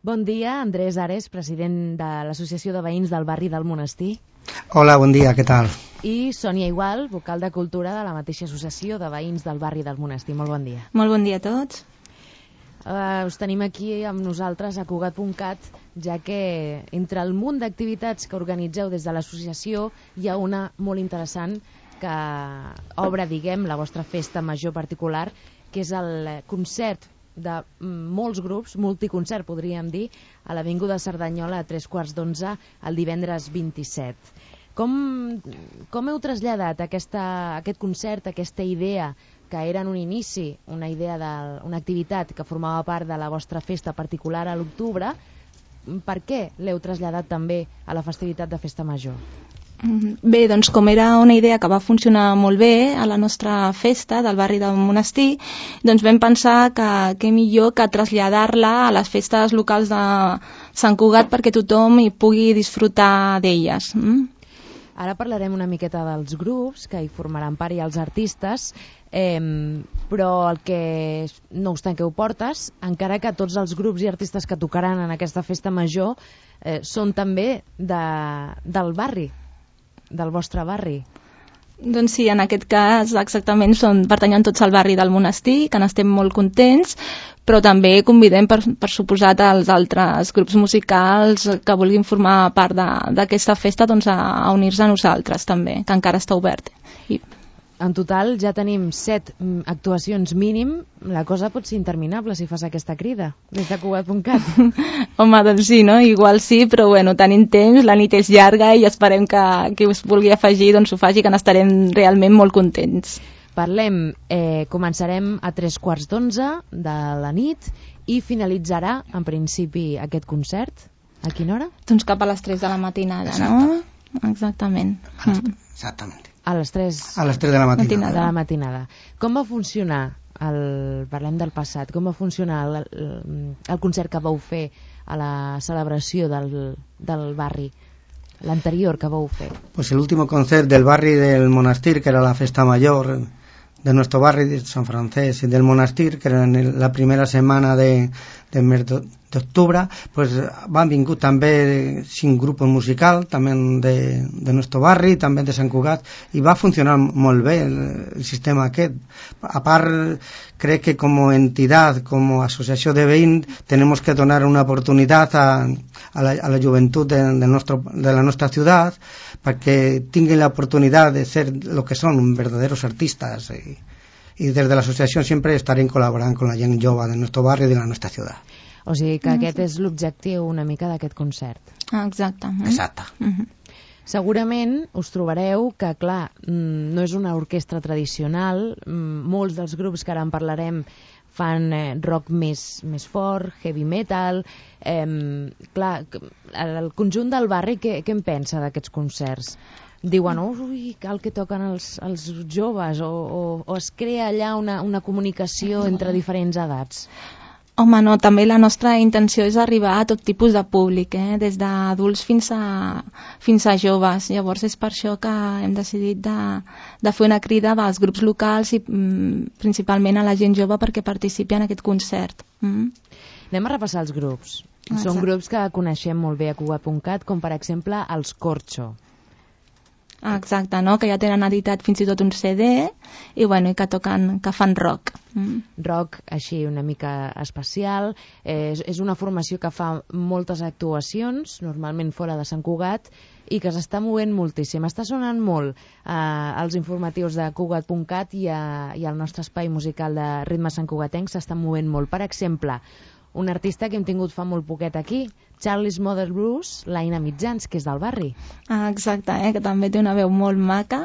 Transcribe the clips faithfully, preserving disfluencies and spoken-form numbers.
Bon dia, Andrés Ares, president de l'Associació de Veïns del Barri del Monestir. Hola, bon dia, què tal? I Sònia Igual, vocal de Cultura de la mateixa Associació de Veïns del Barri del Monestir. Molt bon dia. Molt bon dia a tots. Uh, us tenim aquí amb nosaltres a Cugat punt cat, ja que entre el munt d'activitats que organitzeu des de l'associació hi ha una molt interessant que obre, diguem, la vostra festa major particular, que és el concert de molts grups, multiconcert podríem dir, a l'Avinguda Cerdanyola a tres quarts d'onze el divendres vint-i-set. Com, com heu traslladat aquesta, aquest concert, aquesta idea que era en un inici, una idea de, una activitat que formava part de la vostra festa particular a l'octubre, per què l'heu traslladat també a la festivitat de Festa Major? Bé, doncs com era una idea que va funcionar molt bé a la nostra festa del barri del Monestir, doncs vam pensar que què millor que traslladar-la a les festes locals de Sant Cugat perquè tothom hi pugui disfrutar d'elles. Mm? Ara parlarem una miqueta dels grups que hi formaran part i els artistes, eh, però el que no obstant que ho portes, encara que tots els grups i artistes que tocaran en aquesta festa major eh, són també de, del barri, del vostre barri. Doncs sí, en aquest cas exactament són, pertanyen tots al barri del Monestir, que n'estem molt contents, però també convidem per, per suposat als altres grups musicals que vulguin formar part d'aquesta festa doncs, a, a unir-se a nosaltres també, que encara està obert. I... En total ja tenim set actuacions mínim. La cosa pot ser interminable si fas aquesta crida des de Cugat punt cat. Home, doncs sí, no? Igual sí, però bueno, tenim temps, la nit és llarga i esperem que qui us vulgui afegir doncs ho faci, que n'estarem realment molt contents. Parlem, eh, començarem a tres quarts d'onze de la nit i finalitzarà en principi aquest concert. A quina hora? Doncs cap a les tres de la matinada, no? Exactament. Exactament. A les tres, a les tres de la matinada. matinada. De la matinada. Com va funcionar, el, parlem del passat, com va funcionar el, el, el concert que vau fer a la celebració del, del barri, l'anterior que vau fer? Pues el último concert del barri del Monestir, que era la festa mayor de nuestro barri de San Francés y del Monestir, que era en la primera semana de, de mes d'octubre, pues van vingut també cinc grups musicals, també de, de nuestro barri, també de Sant Cugat, i va funcionar molt bé el, el sistema aquest. A part, crec que com a entitat, com a associació de veïns, tenemos que donar una oportunitat a, a, la, a la joventut de, de, nostro, de la nostra ciutat perquè tinguin la oportunidad de ser lo que son verdaderos artistas, y, y desde la asociación siempre estarem col·laborant con la gent jove de nuestro barri i de la nostra ciutat. O sigui que aquest és l'objectiu una mica d'aquest concert. Ah, exacte. Exacte. Mm-hmm. Segurament us trobareu que, clar, no és una orquestra tradicional, molts dels grups que ara en parlarem fan eh, rock més, més fort, heavy metal, eh, clar, el conjunt del barri, què, què en pensa d'aquests concerts? Diuen, ui, cal que toquen els, els joves, o, o, o es crea allà una, una comunicació entre diferents edats? Home, no, també la nostra intenció és arribar a tot tipus de públic, eh? Des d'adults fins a, fins a joves. Llavors és per això que hem decidit de, de fer una crida als grups locals i mm, principalment a la gent jove perquè participi en aquest concert. Mm. Anem a repassar els grups. Exacte. Són grups que coneixem molt bé a Cugat punt cat, com per exemple els Corcho. Ah, exacte, no? Que ja tenen editat fins i tot un C D i, bueno, i que toquen, que fan rock. Mm. Rock així una mica especial. Eh, és, és una formació que fa moltes actuacions, normalment fora de Sant Cugat, i que s'està movent moltíssim. Està sonant molt eh, als informatius de Cugat punt cat i, a, i al nostre espai musical de Ritme Sant Cugatenc s'està movent molt. Per exemple, un artista que hem tingut fa molt poquet aquí, Charlie's Mother Blues, l'Aina Mitjans, que és del barri. Ah, exacte, eh? Que també té una veu molt maca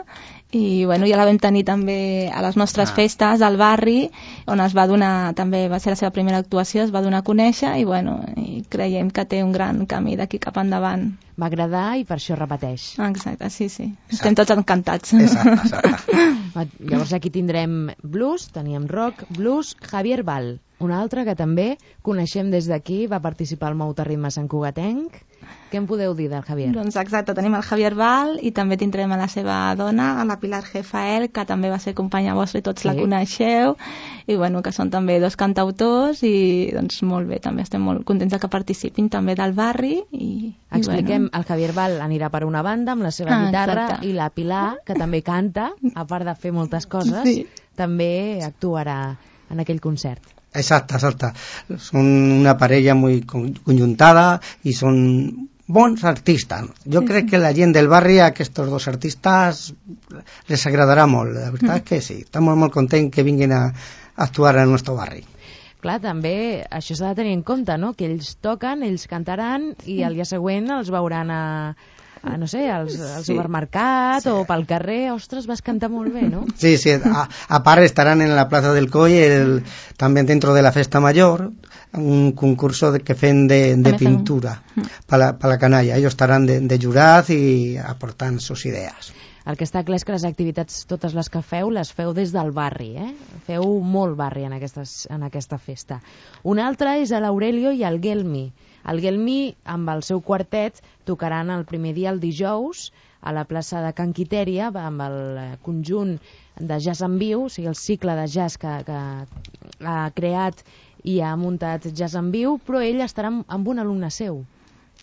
i bueno, ja la vam tenir també a les nostres ah. festes al barri, on es va donar, també va ser la seva primera actuació, es va donar a conèixer i, bueno, i creiem que té un gran camí d'aquí cap endavant. Va agradar i per això repeteix. Ah, exacte, sí, sí. Exacte. Estem tots encantats. Exacte, exacte. Llavors aquí tindrem blues, teníem rock, blues, Javier Val. Un altre que també coneixem des d'aquí, va participar al Mouta Ritme Sant Cugatenc. Què em podeu dir del Javier? Doncs exacte, tenim el Javier Val i també tindrem a la seva dona, a la Pilar Gefael, que també va ser companya vostra i tots sí. la coneixeu, i bueno, que són també dos cantautors i doncs molt bé, també estem molt contents que participin també del barri. I, Expliquem, i bueno. el Javier Val anirà per una banda amb la seva ah, guitarra exacte. I la Pilar, que també canta, a part de fer moltes coses, sí. també actuarà en aquell concert. Exacte, exacte. Son una parella muy conjuntada y son bons artistas. Yo sí, creo sí. que la gent del barri a aquests dos artistes les agradarà molt. La veritat mm. és que sí. Estamos molt contents que vinguin a actuar al nostre barri. Clar, també això s'ha de tenir en compte, no? Que ells toquen, ells cantaran i el dia següent els veuran a, a no sé, al, al sí. supermercat sí. o pel carrer. Ostres, vas cantar molt bé, ¿no? Sí, sí. A, a part estarán en la Plaza del Coll, el, también dentro de la Festa Mayor, un concurso de, que fem de, de pintura para la, pa la canalla. Ellos estarán de, de jurat i aportant sus idees. El que està clar és que les activitats, totes les que feu, les feu des del barri, eh? Feu molt barri en, aquestes, en aquesta festa. Un altre és l'Aurelio i el Gelmi. El Gelmi, amb el seu quartet, tocaran el primer dia, el dijous, a la plaça de Can Quitèria, amb el conjunt de jazz en viu, o sigui, el cicle de jazz que, que ha creat i ha muntat jazz en viu, però ell estarà amb, amb un alumne seu.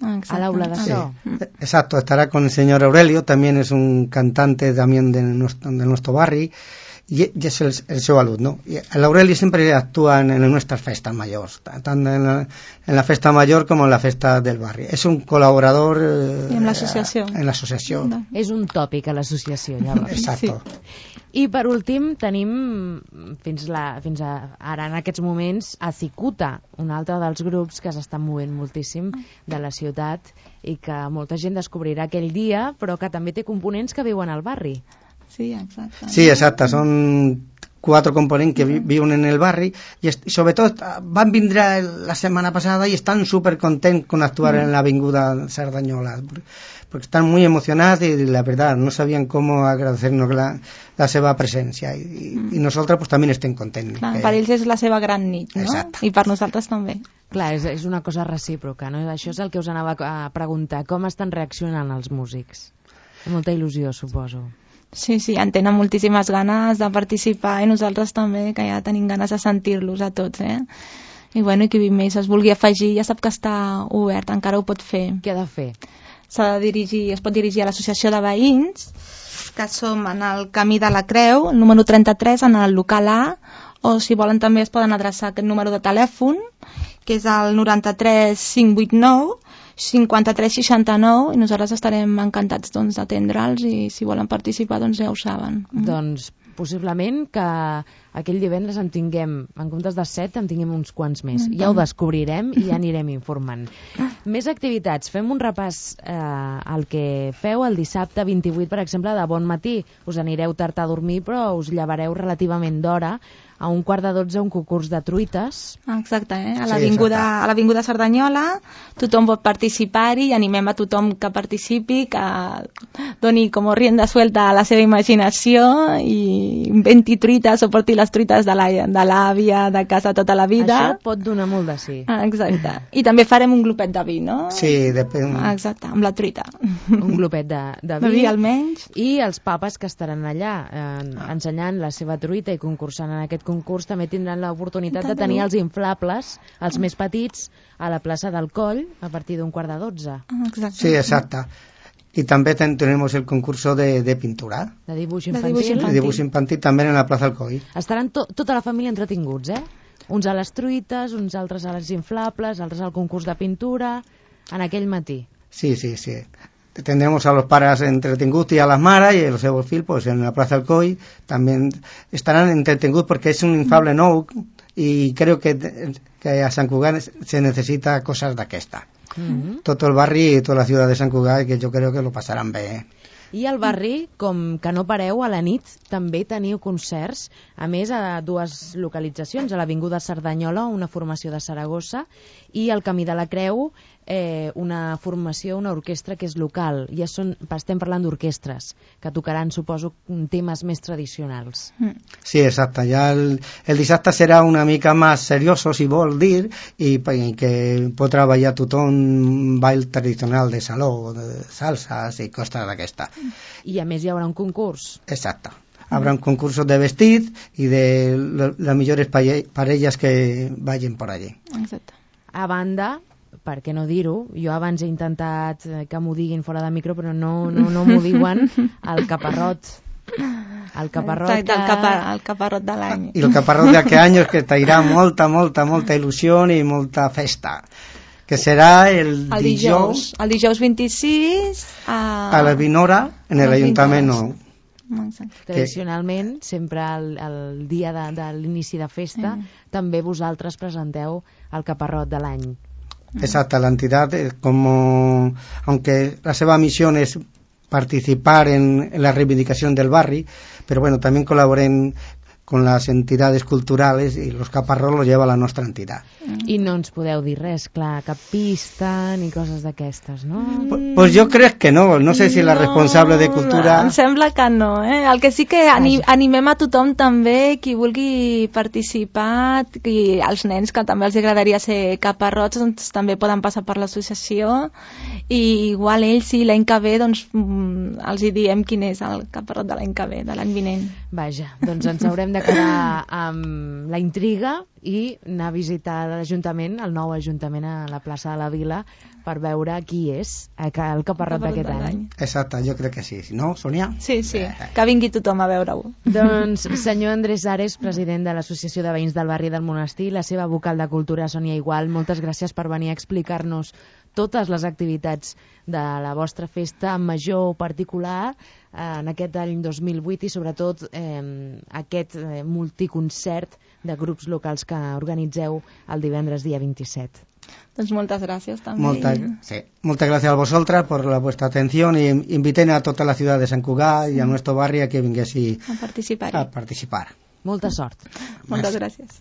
Ah, a l'aula de so. Sí, exacto, estará con el señor Aurelio, también es un cantante también de nuestro, de nuestro barri y, y es el, el seu alumno. Y el Aurelio siempre actúa en, en nuestras festas mayores, tanto en la, en la festa mayor como en la festa del barri. Es un colaborador eh, en l'associació. En l'associació. No. És un tòpic a l'associació, llavors. Exacto. Sí. I per últim tenim fins, la, fins a, ara en aquests moments a Cicuta, un altre dels grups que s'estan movent moltíssim de la ciutat i que molta gent descobrirà aquell dia, però que també té components que viuen al barri. Sí, exacte. Sí, exacte, són cuatro components que vi viuen en el barri i, i sobretot van vindre la setmana passada i estan super contents con actuar mm. en l'avinguda Cerdanyola, porque están muy emocionados y la verdad no sabían cómo agradecernos la, la seva presència i, mm. i nosaltres pues, també estem contents. Clar, que... per ells és la seva gran nit, no? Exacte. I per nosaltres també. Clar, és, és una cosa recíproca, no? Això és el que us anava a preguntar, com estan reaccionant els músics? Amb molta il·lusió, suposo. Sí, sí, en tenen moltíssimes ganes de participar i nosaltres també, que ja tenim ganes de sentir-los a tots, eh? I bueno, i qui més es vulgui afegir ja sap que està obert, encara ho pot fer. Què ha de fer? S'ha de dirigir, es pot dirigir a l'associació de veïns, que som en el Camí de la Creu, el número trenta-tres, en el local A, o si volen també es poden adreçar a aquest número de telèfon, que és el noranta-tres cinc vuit nou cinquanta-tres seixanta-nou, i nosaltres estarem encantats doncs, d'atendre'ls i si volen participar doncs ja ho saben. Mm. Doncs possiblement que aquell divendres en tinguem, en comptes de set, en tinguem uns quants més. Mm. Ja ho descobrirem i ja anirem informant. Més activitats. Fem un repàs eh, al que feu el dissabte vint-i-vuit, per exemple, de bon matí. Us anireu tard a dormir, però us llevareu relativament d'hora. A un quart de dotze, un concurs de truites. Exacte, eh? A l'avinguda sí, a l'avinguda Cerdanyola, tothom pot participar-hi i animem a tothom que participi, que doni com rienda suelta a la seva imaginació i inventi truites o porti les truites de l'àvia de casa tota la vida. Això pot donar molt de sí. Ah, exacte. I també farem un glopet de vi, no? Sí, depèn. Exacte, amb la truita. Un glopet de, de vi. De vi almenys. I els papes que estaran allà eh, ensenyant la seva truita i concursant en aquest concurs també tindran l'oportunitat de tenir els inflables, els més petits, a la plaça del Coll a partir d'un quart de dotze. Exacte. Sí, exacte. Y también ten, tenemos el concurso de, de pintura. De dibuix infantil. infantil. De dibuix infantil, de dibuix infantil també en la plaça del Coll. Estaran to, tota la família entretinguts, eh? Uns a les truites, uns altres a les inflables, altres al concurs de pintura, en aquell matí. Sí, sí, sí. Tendremos a los padres entretenguts y a las maras, y los seus fills pues, en la Plaza del Coll también estarán entretenguts porque es un inflable nou y creo que, que a Sant Cugat se necesita cosas d'aquesta. Mm-hmm. Tot el barri i tota la ciutat de Sant Cugat, que jo crec que lo passaran bé. I al barri, com que no pareu, a la nit també teniu concerts, a més a dues localitzacions, a l'Avinguda Cerdanyola, una formació de Saragossa, i al Camí de la Creu, eh, una formació, una orquestra que és local. Ja són, estem parlant d'orquestres que tocaran, suposo, temes més tradicionals. Sí, exacte. Ja el, el dissabte serà una mica més serioso, si vol dir, i, i que pot treballar tothom ball tradicional de saló, de salsas i coses d'aquesta. I a més hi haurà un concurs. Exacte. Habrá un concurso de vestit i de les millors parelles que vagin por allí. Exacte. A banda, per què no dir-ho, jo abans he intentat que m'ho diguin fora de micro, però no, no, no m'ho diuen, el caparrot. El caparrot, Exacte, el, capa, el caparrot de l'any. I el caparrot d'aquest any és que trairà molta, molta, molta il·lusió i molta festa, que serà el, el dijous, dijous. El dijous vint-i-sis a, a la vint hora en l'Ajuntament nou. Tradicionalment, sempre el, el dia de, de l'inici de festa, sí. També vosaltres presenteu el caparrot de l'any. Exacte, la entidad, como, aunque la seva misión es participar en, en la reivindicación del barri, pero bueno, también colaboren con las entidades culturales y los caparrots los lleva la nostra entitat. I no ens podeu dir res, clar, cap pista ni coses d'aquestes, no? Pues, pues jo crec que no, no sé si la responsable de cultura... Em sembla que no, eh? El que sí que anim, animem a tothom també, qui vulgui participar, i als nens que també els agradaria ser caparrots, doncs també poden passar per l'associació, i igual ells, sí, l'any que ve, doncs els hi diem quin és el caparrot de l'any que ve, de l'any vinent. Vaja, doncs ens haurem de quedar amb la intriga i anar a visitar l'Ajuntament, el nou Ajuntament a la plaça de la Vila, per veure qui és el caparrot d'aquest any. Exacte, jo crec que sí. No, Sònia? Sí, sí, que vingui tothom a veure-ho. Doncs senyor Andrés Ares, president de l'Associació de Veïns del Barri del Monestir, la seva vocal de Cultura, Sònia Igual, moltes gràcies per venir a explicar-nos totes les activitats de la vostra festa en major particular en aquest any dos mil vuit i sobretot eh, aquest eh, multiconcert de grups locals que organitzeu el divendres dia vint-i-set. Doncs moltes gràcies també. Molta, sí. Muchas gracias a vosotras por la vuestra atención y inviten a toda la ciudad de Sant Cugat y a nuestro barrio a que vinguessin a participar. A participar. Molta sort. Moltes gràcies.